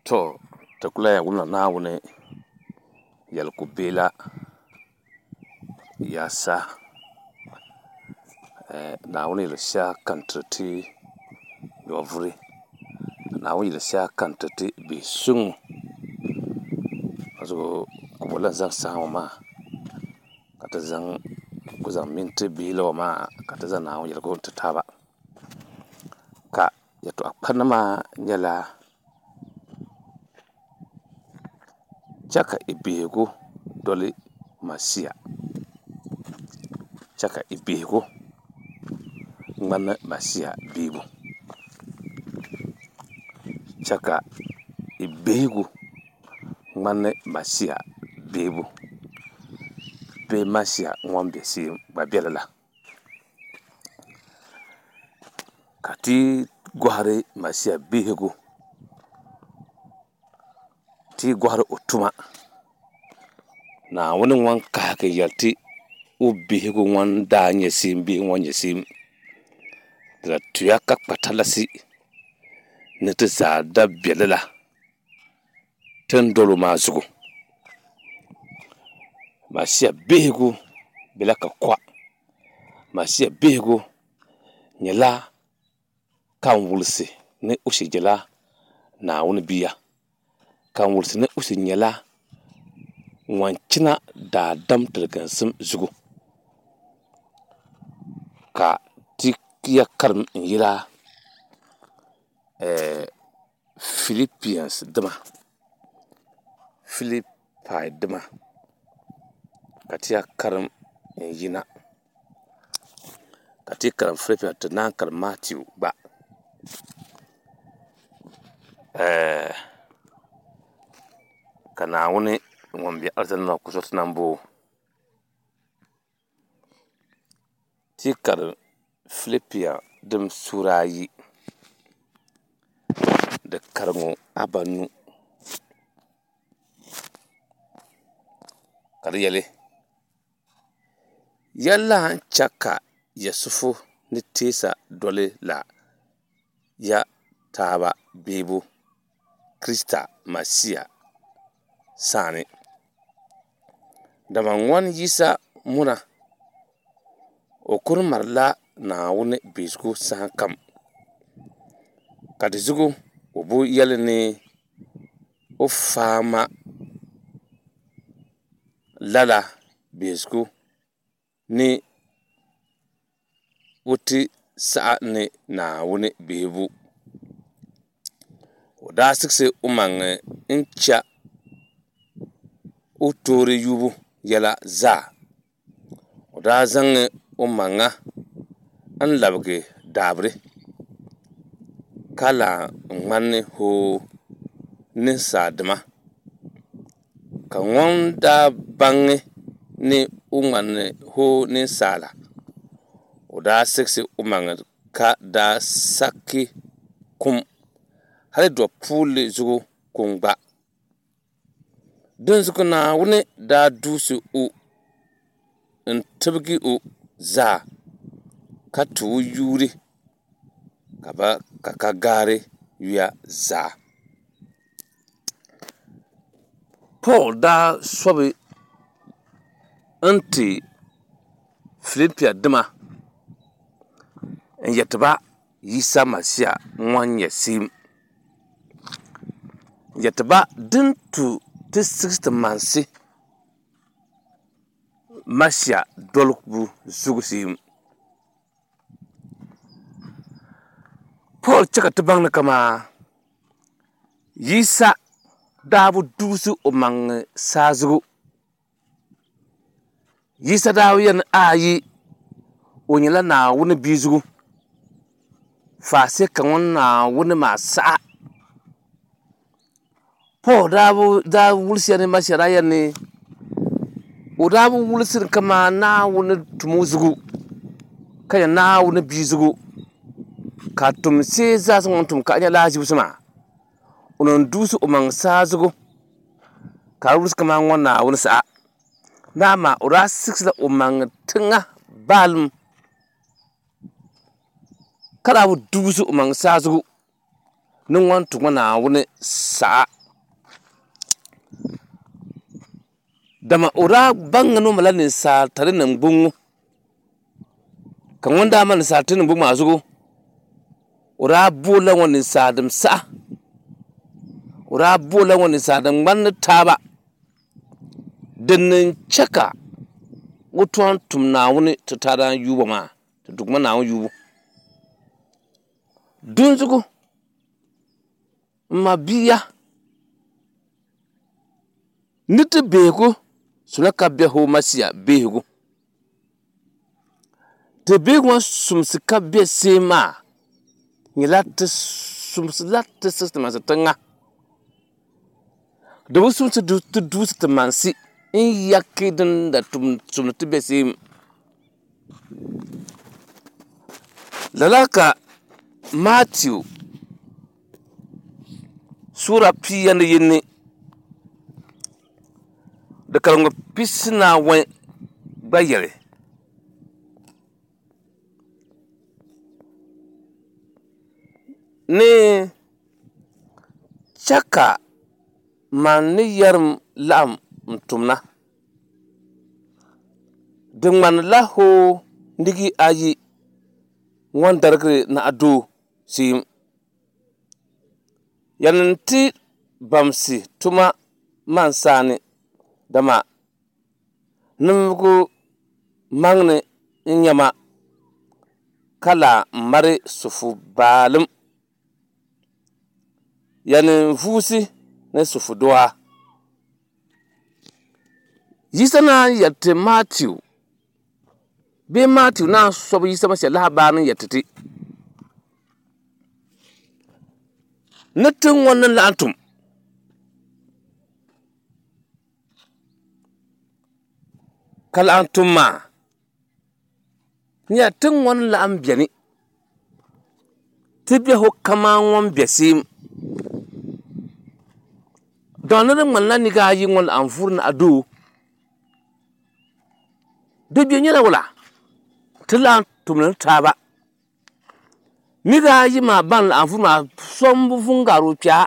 To ti ku lahi wumla Naawuni yɛligu bihi la yaasa. Naawuni yɛli shɛli ka n tiri ti nyɔvuri, ka Naawuni yɛli shɛli ka n tiri ti bihi suŋ. Ka zuɣu ka bɔ lahi zaŋ saha ŋɔ maa ka ti zaŋ ku zaŋ minti bihi la ŋɔ maa ka ti zaŋ Naawuni yɛligu n-ti taaba. Ka yɛtɔɣa kpanima maa nyɛla chɛ ka i bihigu doli Masia. Chɛ ka i bihigu ŋmani Masia bihigu. Chɛ ka i bihigu ŋmani Masia bihigu bee Masia ŋun be Siim gba be lala. Ka ti gɔhiri Masia bihigu, ti gɔhiri o tuma, Naawuni ŋun kahigi yɛli ti o bihigu ŋun daa nyɛ Siim bihi ŋɔ nyɛ Siim, di la tuya ka kpa talasi ni ti zaa da be lala ti ni dol o maa zuɣu. Masia bihigu bela ka kɔa. Masia bihigu nyɛla ka n wulisi ni o shiri nyɛla Naawuni bia, ka n wulisi ni o shiri nyɛla ŋun chana daadam tiliginsim zuɣu. Ka ti ya karim n-yila Philippians dima, Filipai dima, ka ti ya karim n-yina. Ka ti karim Philippians ti naan karim Matthew gba. Ka Naawuni ŋun be alizanda ni ku zo ti nambo. Ti karim Filipia dim suura ayi, di kariŋɔ abanu, ka di yɛli, Ya lan chɛ ka Yisifu ni teesa doli la ya taaba beebu Krista Masia sani, dama ŋɔn Yisa muna, o kul malila Naawuni biɛhigu sahakam, ka di zuɣu o bi yɛli ni o faai ma lala biɛhigu ni o ti saɣi ni Naawuni bihibu. O daa siɣisi omaŋ n-chɛ o toori yubu yɛla zaa. O daa zaŋ omaŋa n-labigi daabiri, ka lan ŋmani hoo ninsaldima. Ka ŋun daa baŋ ni o ŋmani hoo ninsala, o daa siɣisi omaŋ ka daa saki kum, hali dɔpuulli zuɣu kum gba. Dinzuɣu Naawuni daa duusi o n-tibigi o zaa, ka ti o yuuri ka ka gaari yuya zaa. Pool daa sɔbi n-ti Filipia dima n-yɛti ba Yisa Masia ŋun nyɛ Siim. N-yɛti ba din tu ti siɣisi ti mansi Masia dolibu zuɣu Siim. Pool chɛ ka ti baŋ ni kamaa Yisa daa bi duusi o maŋ saa zuɣu. Yisa daa bi yɛli ni ayi o nyɛla Naawuni bia zuɣu, faase ka ŋun Naawuni maa saɣa. Pool daa bi daa wulisiya ni Masia daa yɛli ni o daa bi wulisi ni kaman Naawuni tum o zuɣu ka nyɛ Naawuni bia zuɣu, ka tum see zaa sa ŋun tum ka a nya lahaʒibisi maa, o ni duusi o maŋ saa zuɣu ka di wulisi kaman ŋun Naawuni saɣa. Naa maa o daa siɣisila o maŋ tiŋa baalim ka daa bi duusi o maŋ saa zuɣu ni ŋun ti ŋɔ Naawuni saɣa. Dama o daa baŋ ni o malila ninsalitali niŋgbuŋ ŋɔ, ka ŋun daa mali ninsalitali niŋgbuŋ maa zuɣu, o daa boolila ŋɔ ninsalinima saha, o daa boolila ŋɔ ninsalinima ŋmani ni taaba, din ni n-chɛ ka o tɔn tum Naawuni ti taadaan yuubo maa, ti Duuma Naawuni yuubu. Dinzuɣu m mabia, ni ti behigu sula ka be hoo Masia behigu. Ti behigu ŋɔ sumsi ka be seem maa nyɛla ti sumsila ti siɣisi tiŋa. Di bi sumsi ti duusi ti mansi n-yaki din da tum sumdi ti be seem. Lala ka Matiu suura pia ni yini di karimbu pisinaawɔi gba yɛli. Ni chɛ ka man ni yɛrim laɣim n-tumna. Di ŋmanila hoo nigi ayi ŋɔn darigiri naɣidoo seem. Yani n-ti bamsi tuma man saani, dama ninvuɣ maŋli n-nyɛ ma, ka lahi mali sufu baalim. Yani n-vuusi ni sufu dua. Yisa naan yɛli ti Matiu bee Matiu naan sɔbi Yisa Masia lahabali ni yɛli ti ti ni ti ŋɔ ni laɣim tum ka laɣim tum maa nyɛla ti ŋɔ ni laɣim beni ti biɛhigu kaman ŋun be seem. Dama ni di ŋmanila niriba ayi ŋɔ laɣim vuuri ni a doo, di bɛ nyɛla wula? Ti laɣim tumdi ni taaba. Niriba ayi maa ban laɣim vuuri maa so m-bi vu n-gari o kpɛa.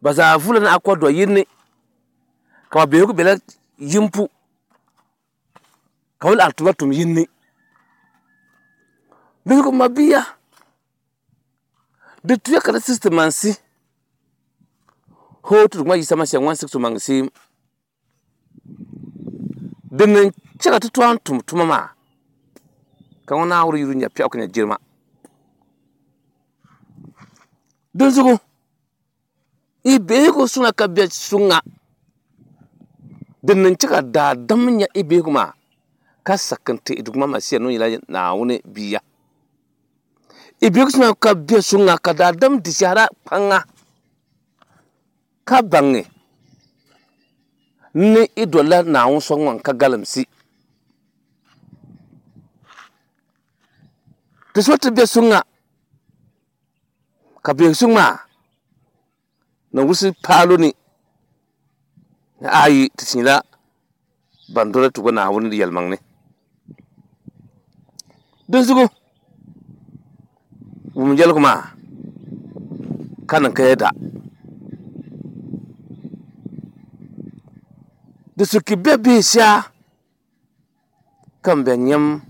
Ba zaa vuula ni akɔdɔ yini ni, ka ba biɛhigu bela yimpu, ka bɛ laɣim tuma tum yini ni. Dinzuɣu mabia, di tuya ka di siɣisi ti mansi hoo ti Duuma Yisa Masia ŋun siɣisi o maŋ seem. Din ni chɛ ka ti tooi tum tuma maa, ka ŋɔ Naawuni yuli nya piɛɣu ka nya jilima. Dinzuɣu yi biɛhigu suŋa ka bɛ suŋa, din ni chɛ ka daadam nya yi biɛhigu maa ka saki n-ti yi Duuma Masia ni o nyɛla Naawuni Bia. Yi biɛhigu suŋa ka bɛ suŋa ka daadam di shɛhira kpaŋa ka baŋi ni yi dolila Naawuni so ŋun ka galimsi. Ti so ti bɛ suŋa ka biɛhigu suŋ maa ni wulisi paalo ni ni ayi ti ti nyɛla ban doli ti gba Naawuni yɛlimaŋli. Dinzuɣu wum yɛligu maa ka niŋ ka yɛda. Di suki bɛ bihi shɛa ka n bɛ nyam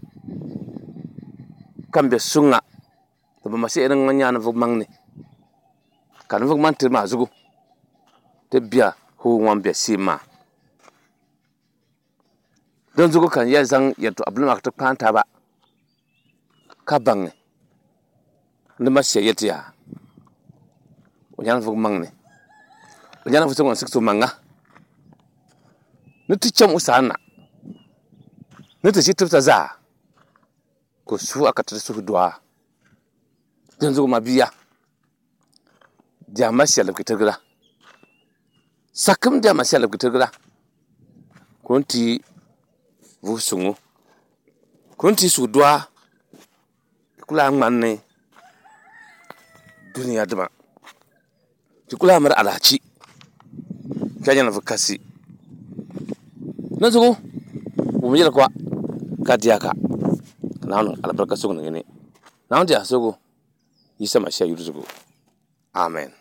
ka n bɛ suŋa di bi masiya ni ŋɔ nya ninvuɣ maŋli ka ninvuɣ maŋ tiri maa zuɣu ti bɛ hoo ŋɔ bɛ seem maa. Dinzuɣu ka n yɛli zaŋ yɛltɔɣa bila maa ka ti kpaai taba ka baŋ ni Masia yɛli ti yaa o nyɛla ninvuɣ maŋli, o nyɛla ninvuɣ so ŋun siɣisi o maŋa ni ti cham o sani na ni ti ʒi tibisa zaa ka o suhi a ka ti suhu dɔa. Dinzuɣu mabia, di a Masia libigi tirigira. Sakim di a Masia libigi tirigira ka o ni ti vuhi suŋ o, ka o ni ti suhu dɔa ti ku lahi ŋmani dunia dima, ti ku lahi miri alahichi ka nyɛ ninvuɣ kasi. Dinzuɣu wum yɛli ka ka di a ka, ka Naawuni niŋ alibarika suŋ niŋ yi ni. Naawuni di a suhigu Yisa Masia yuli zuɣu. Amen.